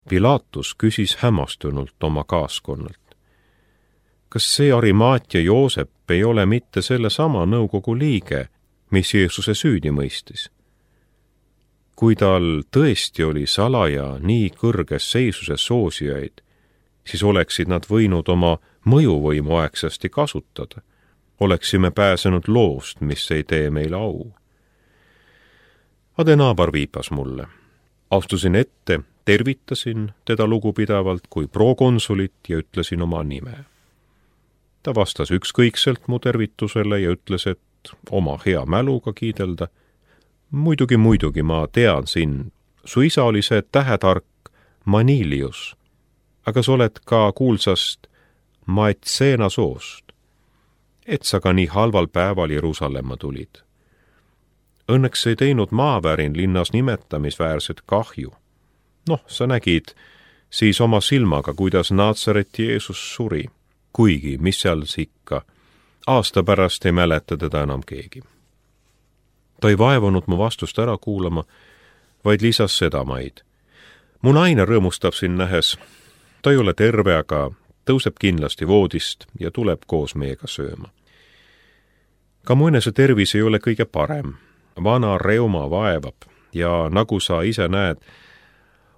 Pilatus küsis hämmastunult oma kaaskonnalt. Kas see Arimaatia Joosep ei ole mitte sellesama nõukogu liige, mis Jeesuse süüdi mõistis? Kui tal tõesti oli salaja nii kõrges seisuses soosijaid, siis oleksid nad võinud oma mõjuvõimu aegsasti kasutada. Oleksime pääsenud loost, mis ei tee meile au. Adenaabar viipas mulle. Astusin ette, tervitasin teda lugupidavalt kui prokonsulit ja ütlesin oma nime. Ta vastas ükskõikselt mu tervitusele ja ütles, et oma hea mäluga kiidelda. Muidugi, ma tean sind. Su isa oli see tähetark Manilius, aga sa oled ka kuulsast Maetseena soost. Et sa ka nii halval päeval Jeruusalemma tulid. Õnneks ei teinud maavärin linnas nimetamisväärset kahju. Sa nägid siis oma silmaga, kuidas Naatsareti Jeesus suri. Kuigi, mis seal ikka, aasta pärast ei mäleta teda enam keegi. Ta ei vaevunud mu vastust ära kuulama, vaid lisas sedamaid. Mu naine rõõmustab siin nähes. Ta ei ole terve, aga tõuseb kindlasti voodist ja tuleb koos meiega sööma. Ka mu enese tervis ei ole kõige parem. Vana reuma vaevab ja nagu sa ise näed,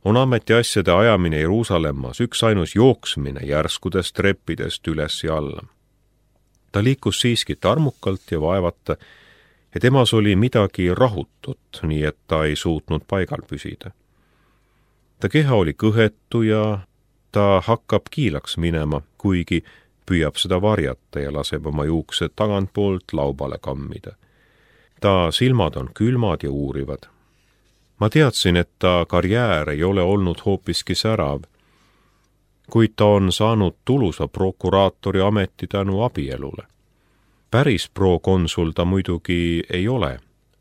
on ametiasjade ajamine Jeruusalemmas üks ainus jooksmine järskudest treppidest üles ja alla. Ta liikus siiski tarmukalt ja vaevata, ja temas oli midagi rahutut, nii et ta ei suutnud paigal püsida. Ta keha oli kõhetu ja ta hakkab kiilaks minema, kuigi püüab seda varjata ja laseb oma juuksed tagantpoolt laubale kammida. Ta silmad on külmad ja uurivad. Ma teadsin, et ta karjäär ei ole olnud hoopiski särav, kuid ta on saanud tulusa prokuraatori ameti tänu abielule. Päris prokonsul ta muidugi ei ole,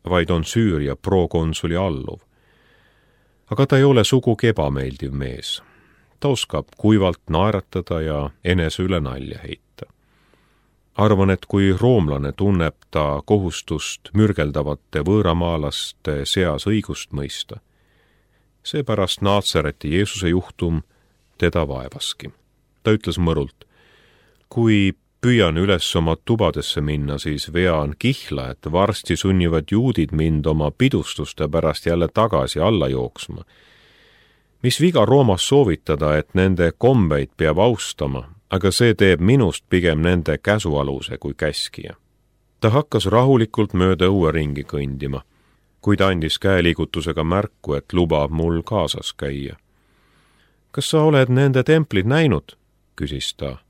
vaid on Süüria prokonsuli alluv. Aga ta ei ole sugugi ebameeldiv mees. Ta oskab kuivalt naeratada ja enese üle nalja heita. Arvan, et kui roomlane tunneb ta kohustust mürgeldavate võõramaalaste seas õigust mõista, seepärast Naatsareti Jeesuse juhtum teda vaevaski. Ta ütles mõrult, kui püüan üles oma tubadesse minna, siis vean kihla, et varsti sunnivad juudid mind oma pidustuste pärast jälle tagasi alla jooksma. Mis viga Roomas soovitada, et nende kombeid peab austama, aga see teeb minust pigem nende käsualuse kui käskija. Ta hakkas rahulikult mööda õue ringi kõndima, kuid andis käeliigutusega märku, et lubab mul kaasas käia. Kas sa oled nende templid näinud? Küsis ta.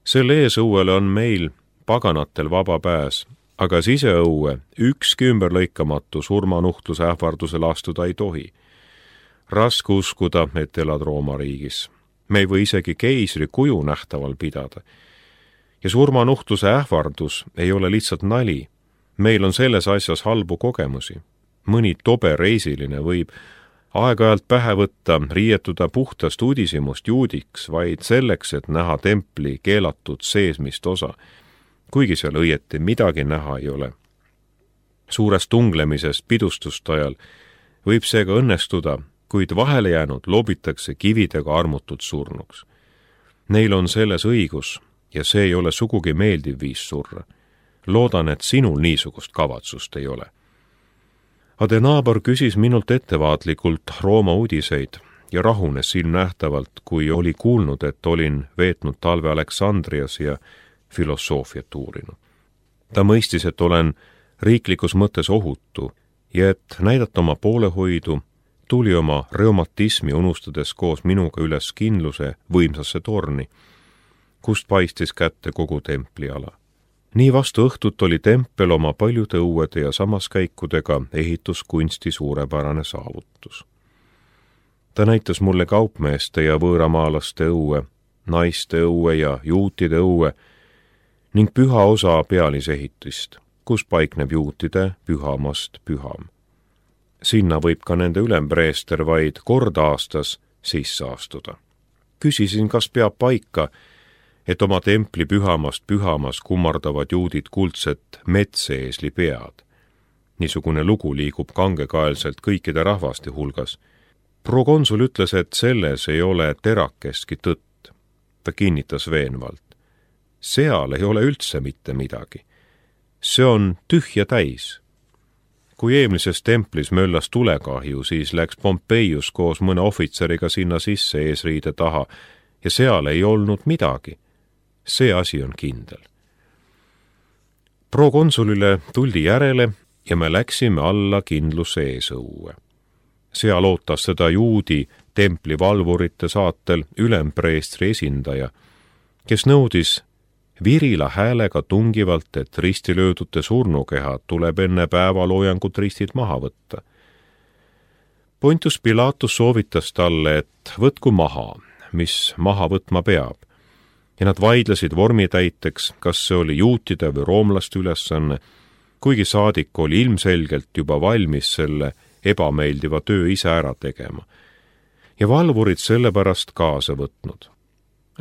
Selle eesõuele on meil paganatel vaba pääs, aga siseõue ükski ümberlõikamatu surmanuhtluse ähvardusel astuda ei tohi. Raske uskuda, et elad Rooma riigis. Me ei või isegi keisri kuju nähtaval pidada. Ja surmanuhtluse ähvardus ei ole lihtsalt nali. Meil on selles asjas halbu kogemusi. Mõni tobe reisiline võib aeg-ajalt pähe võtta, riietuda puhtast udisimust juudiks vaid selleks, et näha templi keelatud seesmist osa, kuigi seal õieti midagi näha ei ole. Suures tunglemises pidustuste ajal võib seega õnnestuda, kuid vahele jäänud lobitakse kividega armutult surnuks. Neil on selles õigus ja see ei ole sugugi meeldiv viis surra. Loodan, et sinul niisugust kavatsust ei ole. Adenaabar küsis minult ettevaatlikult Rooma uudiseid ja rahunes silmnähtavalt, kui oli kuulnud, et olin veetnud talve Aleksandrias ja filosoofiat uurinud. Ta mõistis, et olen riiklikus mõttes ohutu ja et näidata oma poolehoidu, tuli oma reumatismi unustades koos minuga üles kindluse võimsasse torni, kust paistis kätte kogu templiala. Nii vastu õhtut oli tempel oma paljude õuede ja samaskäikudega ehituskunsti suurepärane saavutus. Ta näitas mulle kaupmeeste ja võõramaalaste õue, naiste õue ja juutide õue ning püha osa pealisehitist, kus paikneb juutide pühamast püham. Sinna võib ka nende ülempreester vaid kord aastas sisse astuda. Küsisin, kas peab paika, et oma templi pühamast pühamas kummardavad juudid kuldset metseesli pead. Niisugune lugu liigub kangekaelselt kõikide rahvaste hulgas Prokonsul ütles, et selles ei ole terakeski tõtt. Ta kinnitas veenvalt. Seal ei ole üldse mitte midagi. See on tühja täis. Kui eelmises templis möllas tulekahju, siis läks Pompeius koos mõne ohvitseriga sinna sisse eesriide taha ja seal ei olnud midagi. See asi on kindel. Prokonsulile tuldi järele ja me läksime alla kindluse eesõue. Seal ootas seda juudi templi valvurite saatel ülempreestri esindaja, kes nõudis virila häälega tungivalt, et ristilöödute surnukehad tuleb enne päevaloojangut ristid maha võtta. Pontius Pilatus soovitas talle, et võtku maha, mis maha võtma peab, ja nad vaidlesid vormitäiteks, kas see oli juutide või roomlaste ülesanne, kuigi saadik oli ilmselgelt juba valmis selle ebameeldiva töö ise ära tegema. Ja valvurid sellepärast kaasa võtnud.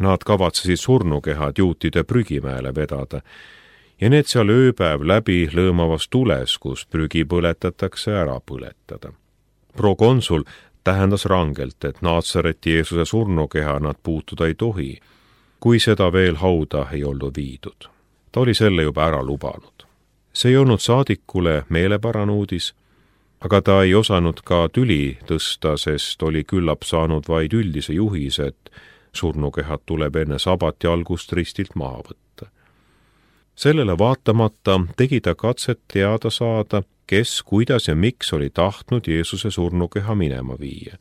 Nad kavatsesid surnukehad juutide prügimäele vedada ja need seal ööpäev läbi lõõmavas tules, kus prügi põletatakse, ära põletada. Prokonsul tähendas rangelt, et Naatsareti Jeesuse surnukeha nad puutuda ei tohi, kui seda veel hauda ei olnud viidud. Ta oli selle juba ära lubanud. See ei olnud saadikule meelepärane uudis, aga ta ei osanud ka tüli tõsta, sest oli küllap saanud vaid üldise juhise, et surnukehad tuleb enne sabati algust ristilt maha võtta. Sellele vaatamata tegi ta katset teada saada, kes, kuidas ja miks oli tahtnud Jeesuse surnukeha minema viia.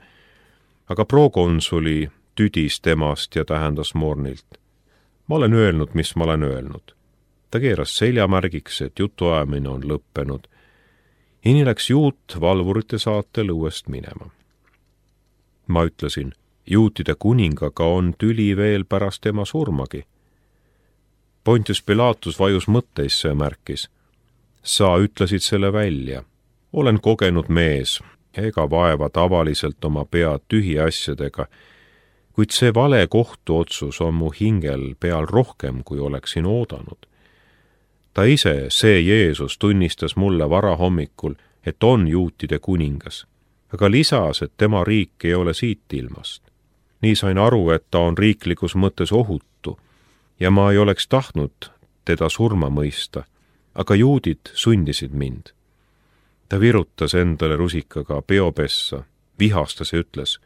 Aga prokonsuli tüdis temast ja tähendas mornilt. Ma olen öelnud, mis ma olen öelnud. Ta keeras seljamärgiks, et jutuajamine on lõppenud. Ja nii läks juut valvurite saatel uuest minema. Ma ütlesin, juutide kuningaga on tüli veel pärast tema surmagi. Pontius Pilatus vajus mõtteisse ja märkis. Sa ütlesid selle välja. Olen kogenud mees ega vaeva tavaliselt oma pead tühi asjadega, kuid see vale kohtuotsus on mu hingel peal rohkem, kui oleksin oodanud. Ta ise, see Jeesus, tunnistas mulle varahommikul, et on juutide kuningas, aga lisas, et tema riik ei ole siit ilmast. Nii sain aru, et ta on riiklikus mõttes ohutu ja ma ei oleks tahtnud teda surma mõista, aga juudid sundisid mind. Ta virutas endale rusikaga peopessa, vihastas ja ütles,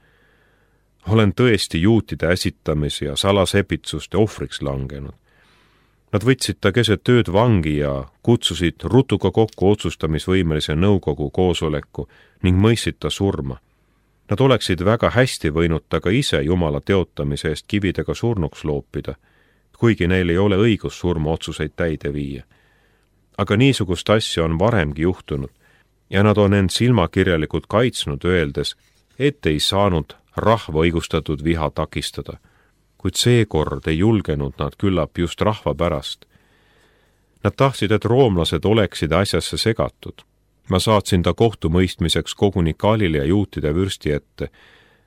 olen tõesti juutide äsitamise ja salasepitsuste ohvriks langenud. Nad võtsid ta keset ööd vangi ja kutsusid rutuga kokku otsustamisvõimelise nõukogu koosoleku ning mõistsid ta surma. Nad oleksid väga hästi võinud ta ka ise Jumala teotamise eest kividega surnuks loopida, kuigi neil ei ole õigus surmaotsuseid täide viia. Aga niisugust asja on varemgi juhtunud ja nad on end silmakirjalikult kaitsnud, öeldes, et ei saanud rahva õigustatud viha takistada, kuid seekord ei julgenud nad küllap just rahva pärast. Nad tahtsid, et roomlased oleksid asjasse segatud. Ma saatsin ta kohtumõistmiseks koguni Galilea juutide vürsti ette,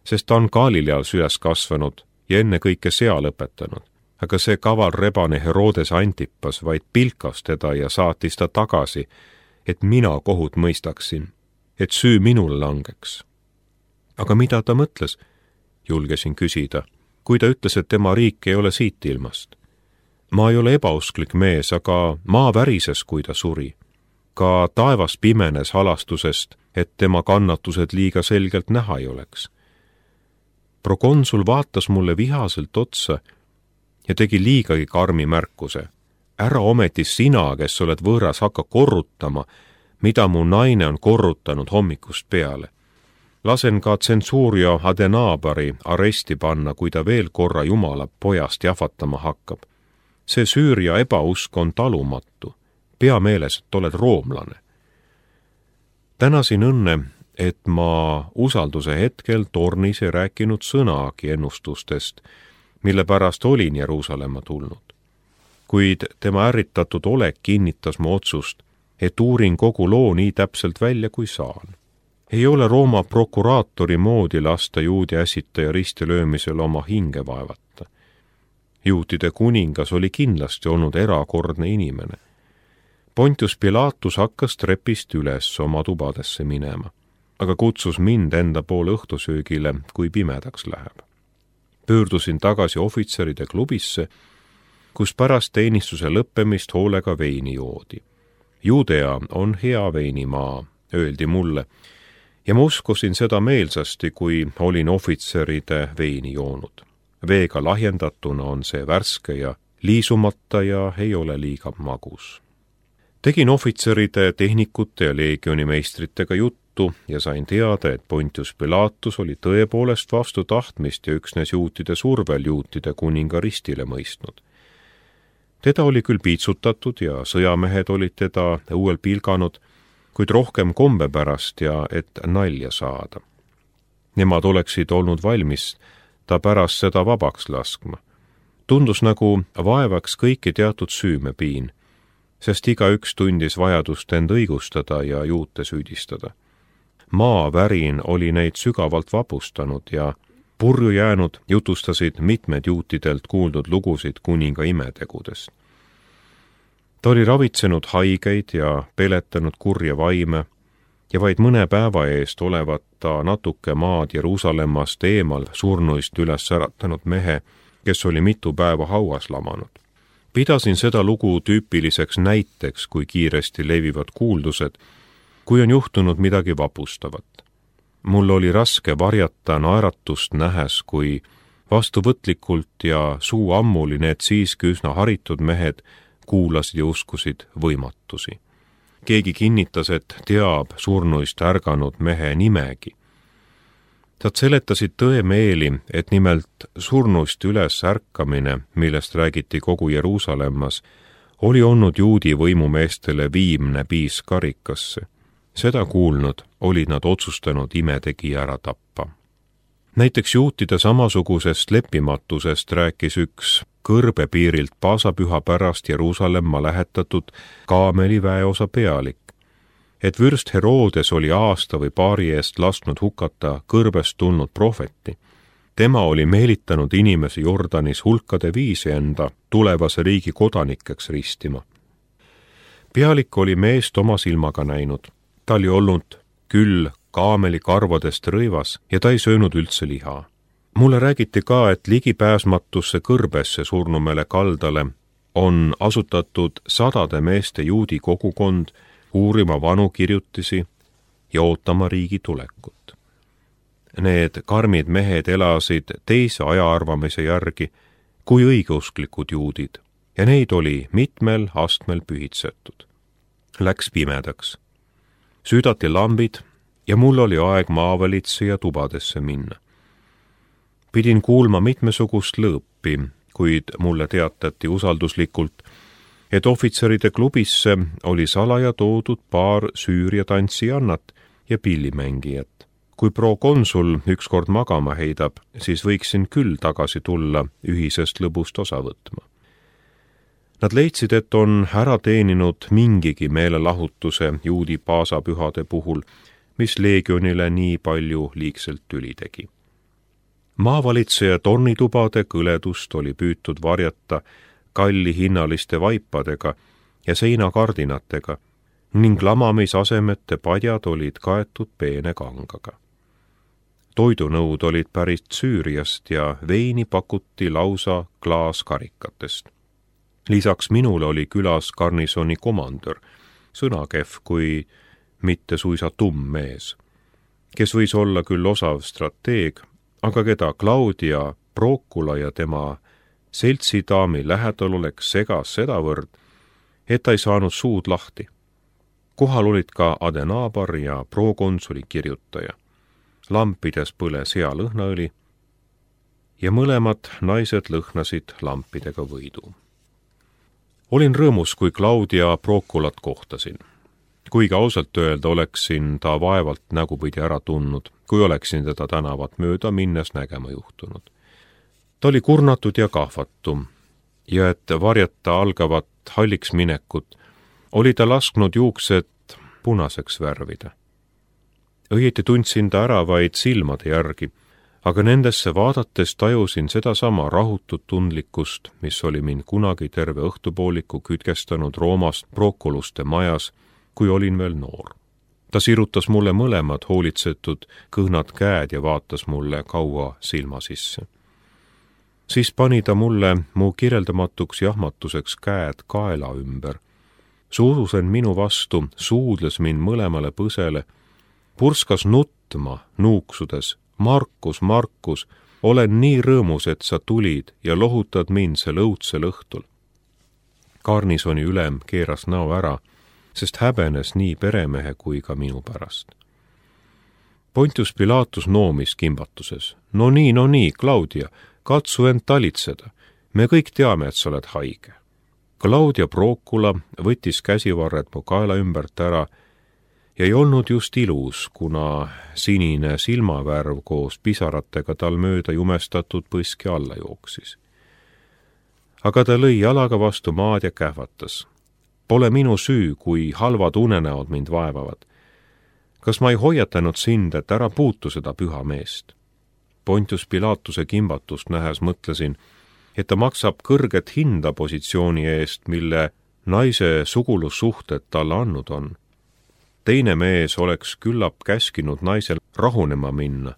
sest ta on Galileas üles kasvanud ja enne kõike seal õpetanud. Aga see kaval rebane Herodes Antipas vaid pilkas teda ja saatis ta tagasi, et mina kohut mõistaksin, et süü minul langeks. Aga mida ta mõtles? Julgesin küsida, kui ta ütles, et tema riik ei ole siit ilmast. Ma ei ole ebausklik mees, aga maa värises, kui ta suri. Ka taevas pimenes halastusest, et tema kannatused liiga selgelt näha ei oleks. Prokonsul vaatas mulle vihaselt otsa ja tegi liigagi karmi märkuse. Ära ometi sina, kes oled võõras, hakka korrutama, mida mu naine on korrutanud hommikust peale. Lasen ka tsensuuria Adenabari aresti panna, kui ta veel korra Jumala pojast jahvatama hakkab. See Süüria ebausk on talumatu. Pea meeles, et oled roomlane. Tänasin õnne, et ma usalduse hetkel tornis ei rääkinud sõnagi ennustustest, mille pärast olin Jeruusalemma tulnud. Kuid tema ärritatud olek kinnitas mu otsust, et uurin kogu loo nii täpselt välja, kui saan. Ei ole Rooma prokuraatori moodi lasta juudi äsitaja ristilöömisel oma hinge vaevata. Juutide kuningas oli kindlasti olnud erakordne inimene. Pontius Pilatus hakkas trepist üles oma tubadesse minema. aga kutsus mind enda poole õhtusöögile, kui pimedaks läheb. Pöördusin tagasi ohvitseride klubisse, kus pärast teenistuse lõppemist hoolega veini joodi. Judea on hea veinimaa, öeldi mulle, ja ma uskusin seda meelsasti, kui olin ohvitseride veini joonud. Veega lahjendatuna on see värske ja liisumata ja ei ole liiga magus. Tegin ohvitseride, tehnikute ja leegionimeistritega juttu ja sain teada, et Pontius Pilatus oli tõepoolest vastu tahtmist ja üksnes juutide survel juutide kuninga ristile mõistnud. Teda oli küll piitsutatud ja sõjamehed olid teda õuel pilganud, kuid rohkem kombe pärast ja et nalja saada. Nemad oleksid olnud valmis ta pärast seda vabaks laskma. Tundus nagu vaevaks kõiki teatud süümepiin, sest igaüks tundis vajadust end õigustada ja juute süüdistada. Maavärin oli neid sügavalt vapustanud ja purju jäänud jutustasid mitmed juutidelt kuuldud lugusid kuninga imetegudest. Ta oli ravitsenud haigeid ja peletanud kurje vaime ja vaid mõne päeva eest olevat ta natuke maad Jeruusalemmast eemal surnuist üles äratanud mehe, kes oli mitu päeva hauas lamanud. Pidasin seda lugu tüüpiliseks näiteks, kui kiiresti levivad kuuldused, kui on juhtunud midagi vapustavat. Mul oli raske varjata naeratust nähes, kui vastuvõtlikult ja suu ammuli need siiski üsna haritud mehed kuulasid ja uskusid võimatusi. Keegi kinnitas, et teab surnuist ärganud mehe nimegi. Tad seletasid tõemeeli, et nimelt surnuist üles ärkamine, millest räägiti kogu Jeruusalemmas, oli olnud juudi võimumeestele viimne piis karikasse. Seda kuulnud olid nad otsustanud imetegija ära tappa. Näiteks juutide samasugusest leppimatusest rääkis üks kõrbepiirilt paasapüha pärast Jeruusalemma lähetatud kaameli väeosa pealik, et vürst Herodes oli aasta või paari eest lasknud hukata kõrbest tulnud prohveti. Tema oli meelitanud inimesi Jordanis hulkade viisi enda tulevase riigi kodanikeks ristima. Pealik oli meest oma silmaga näinud. Ta oli olnud küll kaameli karvadest rõivas ja ta ei söönud üldse liha. Mulle räägiti ka, et ligipääsmatusse kõrbesse surnumele kaldale on asutatud sadade meeste juudi kogukond uurima vanu kirjutisi ja ootama riigi tulekut. Need karmid mehed elasid teise ajaarvamise järgi kui õigeusklikud juudid ja neid oli mitmel astmel pühitsetud. Läks pimedaks. Süüdati lambid ja mul oli aeg maavalitseja tubadesse minna. Pidin kuulma mitmesugust lõõpi, kuid mulle teatati usalduslikult, et ohvitseride klubisse oli salaja toodud paar Süüria tantsijannat ja pillimängijat. Kui prokonsul ükskord magama heidab, siis võiksin küll tagasi tulla ühisest lõbust osa võtma. Nad leidsid, et on ära teeninud mingigi meelelahutuse juudi paasapühade puhul, mis leegionile nii palju liigselt tüli tegi. Maavalitseja tornitubade kõledust oli püütud varjata kallihinnaliste vaipadega ja seinakardinatega ning lamamisasemete padjad olid kaetud peene kangaga. Toidunõud olid pärit Süüriast ja veini pakuti lausa klaaskarikatest. Lisaks minule oli külas garnisoni komandör, sõnakehv kui mitte suisa tumm mees, kes võis olla küll osav strateeg, aga keda Claudia Procula ja tema seltsidaami lähedal oleks segas sedavõrd, et ta ei saanud suud lahti. Kohal olid ka Adenabar ja prokonsuli kirjutaja. Lampides põles hea lõhnaõli ja mõlemad naised lõhnasid lampidega võidu. Olin rõõmus, kui Claudia Proculat kohtasin. Kuigi ausalt öelda oleksin ta vaevalt nägupidi ära tundnud, kui oleksin teda tänavat mööda minnes nägema juhtunud. Ta oli kurnatud ja kahvatu ja et varjata algavat halliks minekut, oli ta lasknud juuksed punaseks värvida. Õieti tundsin ta ära vaid silmade järgi, aga nendesse vaadates tajusin sedasama rahutut tundlikkust, mis oli mind kunagi terve õhtupooliku kütkestanud Roomast Proculuste majas, kui olin veel noor. Ta sirutas mulle mõlemad hoolitsetud kõhnad käed ja vaatas mulle kaua silma sisse. Siis pani ta mulle mu kirjeldamatuks jahmatuseks käed kaela ümber. Suurus end minu vastu, suudles mind mõlemale põsele, purskas nutma, nuuksudes, Markus, Markus, olen nii rõõmus, et sa tulid ja lohutad mind sel õudsel õhtul. Garnisoni ülem keeras näo ära, sest häbenes nii peremehe kui ka minu pärast. Pontius Pilatus noomis kimbatuses. No nii, Claudia, katsu end talitseda. Me kõik teame, et sa oled haige. Claudia Procula võttis käsivarred mu kaela ümbert ära ja ei olnud just ilus, kuna sinine silmavärv koos pisaratega tal mööda jumestatud põski alla jooksis. Aga ta lõi jalaga vastu maad ja kähvatas. Pole minu süü, kui halvad unenäod mind vaevavad. Kas ma ei hoiatanud sind, et ära puutu seda püha meest? Pontius Pilatuse kimbatust nähes mõtlesin, et ta maksab kõrget hinda positsiooni eest, mille naise sugulussuhted talle andnud on. Teine mees oleks küllap käskinud naisel rahunema minna,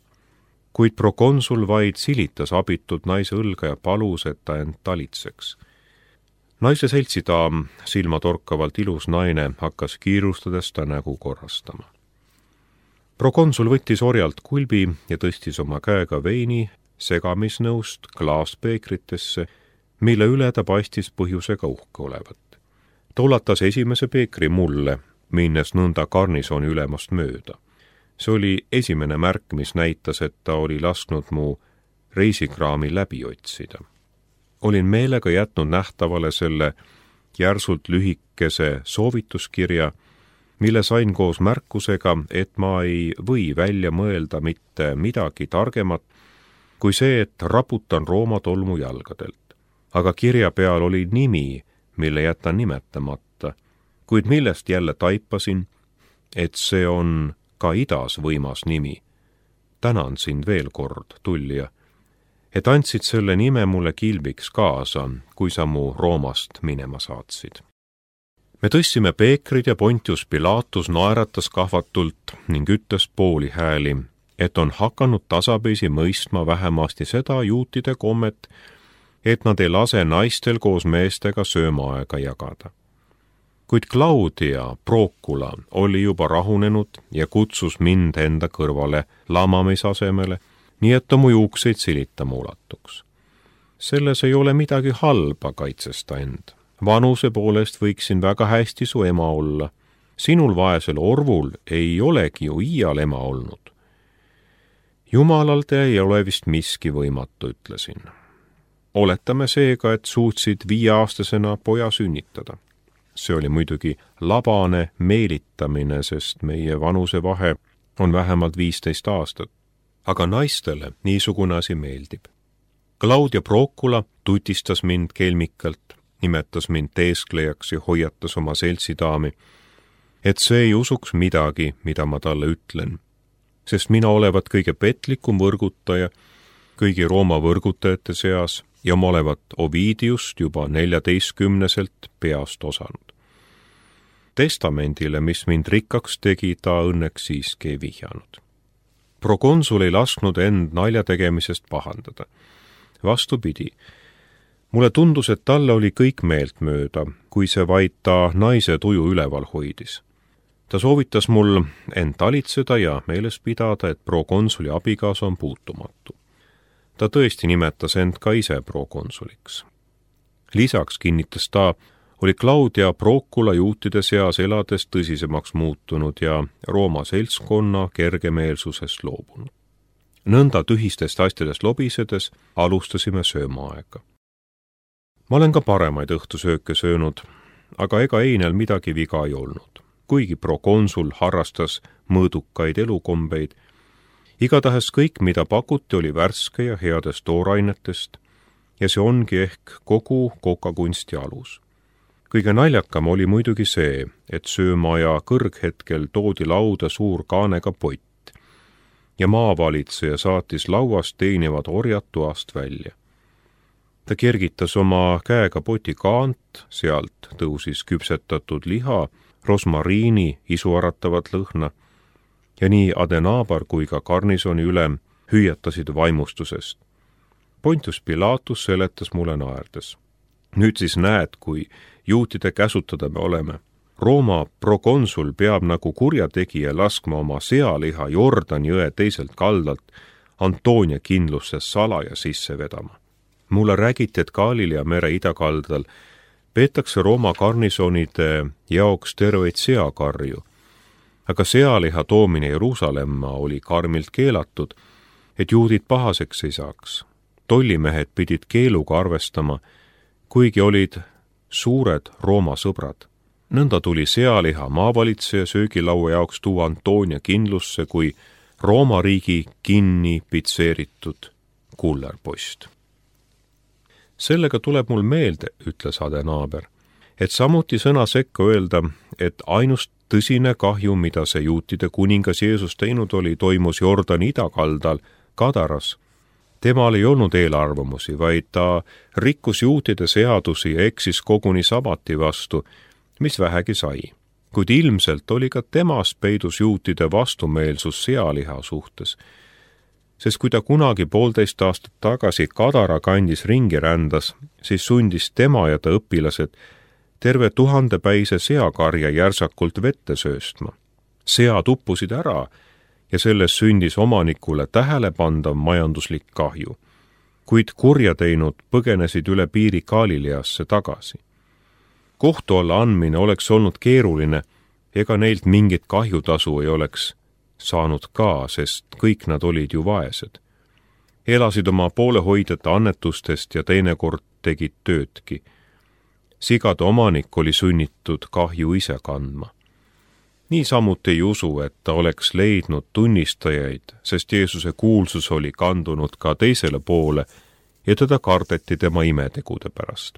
kuid prokonsul vaid silitas abitult naise õlga ja palus, et ta end talitseks. Naise seltsidaam, silmatorkavalt ilus naine, hakkas kiirustades ta nägu korrastama. Prokonsul võttis orjalt kulbi ja tõstis oma käega veini segamisnõust klaaspeekritesse, mille üle ta paistis põhjusega uhke olevat. Ta ulatas esimese peekri mulle, minnes nõnda garnisoni ülemast mööda. See oli esimene märk, mis näitas, et ta oli lasknud mu reisikraami läbi otsida. Olin meelega jätnud nähtavale selle järsult lühikese soovituskirja, mille sain koos märkusega, et ma ei või välja mõelda mitte midagi targemat, kui see, et raputan Rooma tolmu jalgadelt. Aga kirja peal oli nimi, mille jätan nimetamata, kuid millest jälle taipasin, et see on ka idas võimas nimi. Tänan sind veel kord, tullija, et andsid selle nime mulle kilbiks kaasa, kui sa mu Roomast minema saatsid. Me tõstsime peekrid ja Pontius Pilatus naeratas kahvatult ning ütles pooli hääli, et on hakanud tasapisi mõistma vähemasti seda juutide kommet, et nad ei lase naistel koos meestega söömaaega jagada. Kuid Claudia Procula oli juba rahunenud ja kutsus mind enda kõrvale lamamisasemele, nii et ta mu juukseid silitama ulatuks. Selles ei ole midagi halba, kaitses ta end. Vanuse poolest võiksin väga hästi su ema olla. Sinul vaesel orvul ei olegi ju iial ema olnud. Jumalalt ei ole vist miski võimatu, ütlesin. Oletame seega, et suutsid 5-aastasena poja sünnitada. See oli muidugi labane meelitamine, sest meie vanuse vahe on vähemalt 15 aastat. Aga naistele niisugune asi meeldib. Claudia Procula tutistas mind kelmikalt, nimetas mind teesklejaks ja hoiatas oma seltsidaami, et see ei usuks midagi, mida ma talle ütlen, sest mina olevat kõige petlikum võrgutaja kõigi Rooma võrgutajate seas ja ma olevat Ovidiust juba 14 peast osanud. Testamendile, mis mind rikkaks tegi, ta õnneks siiski ei vihjanud. Prokonsul ei lasknud end nalja tegemisest pahandada. Vastupidi, mulle tundus, et talle oli kõik meeltmööda, kui see vaid ta naise tuju üleval hoidis. Ta soovitas mul end talitseda ja meeles pidada, et prokonsuli abikaasa on puutumatu. Ta tõesti nimetas end ka ise prokonsuliks. Lisaks kinnitas ta, oli Claudia Procula juutide seas elades tõsisemaks muutunud ja Rooma seltskonna kergemeelsusest loobunud. Nõnda tühistest asjadest lobisedes alustasime söömaaega. Ma olen ka paremaid õhtusööke söönud, aga ega einel midagi viga ei olnud. Kuigi prokonsul harrastas mõõdukaid elukombeid, igatahes kõik, mida pakuti, oli värske ja headest toorainetest ja see ongi ehk kogu kokakunsti alus. Kõige naljakam oli muidugi see, et söömaja kõrghetkel toodi lauda suur kaanega pott ja maavalitseja saatis lauast teenivad orjad toast välja. Ta kergitas oma käega poti kaant, sealt tõusis küpsetatud liha, rosmariini, isuaratavat lõhna ja nii Adenaabar kui ka garnisoni ülem hüüatasid vaimustusest. Pontius Pilatus seletas mulle naerdes. Nüüd siis näed, kui juutide käsutada me oleme. Rooma prokonsul peab nagu kurjategija laskma oma sealiha Jordani jõe teiselt kaldalt Antoonia kindlusse salaja sisse vedama. Mulle räägiti, et Galilea mere idakaldal peetakse Rooma garnisonide jaoks terveid seakarju, aga sealiha toomine Jeruusalemma oli karmilt keelatud, et juudid pahaseks ei saaks. Tollimehed pidid keeluga arvestama, kuigi olid suured Rooma sõbrad. Nõnda tuli sealiha maavalitseja söögilaua jaoks tuua Antoonia kindlusse kui Rooma riigi kinni pitseeritud kullerpost. Sellega tuleb mul meelde, ütles Adenaaber, et samuti sõna sekka öelda, et ainus tõsine kahju, mida see juutide kuningas Jeesus teinud oli, toimus Jordani idakaldal Kadaras. Temal ei olnud eelarvamusi, vaid ta rikkus juutide seadusi ja eksis koguni sabati vastu, mis vähegi sai. Kuid ilmselt oli ka temas peidus juutide vastumeelsus sealiha suhtes, sest kui ta kunagi 1,5 aastat tagasi Kadara kandis ringi rändas, siis sundis tema ja ta õpilased terve 1000-päise seakarja järsakult vette sööstma. Sead uppusid ära ja selles sündis omanikule tähelepandav majanduslik kahju, kuid kurja teinud põgenesid üle piiri Galileasse tagasi. Kohtu alla andmine oleks olnud keeruline, ega neilt mingit kahjutasu ei oleks saanud ka, sest kõik nad olid ju vaesed. Elasid oma poolehoidjate annetustest ja teinekord tegid töödki. Sigade omanik oli sunnitud kahju ise kandma. Niisamuti ei usu, et ta oleks leidnud tunnistajaid, sest Jeesuse kuulsus oli kandunud ka teisele poole ja teda kardeti tema imetegude pärast.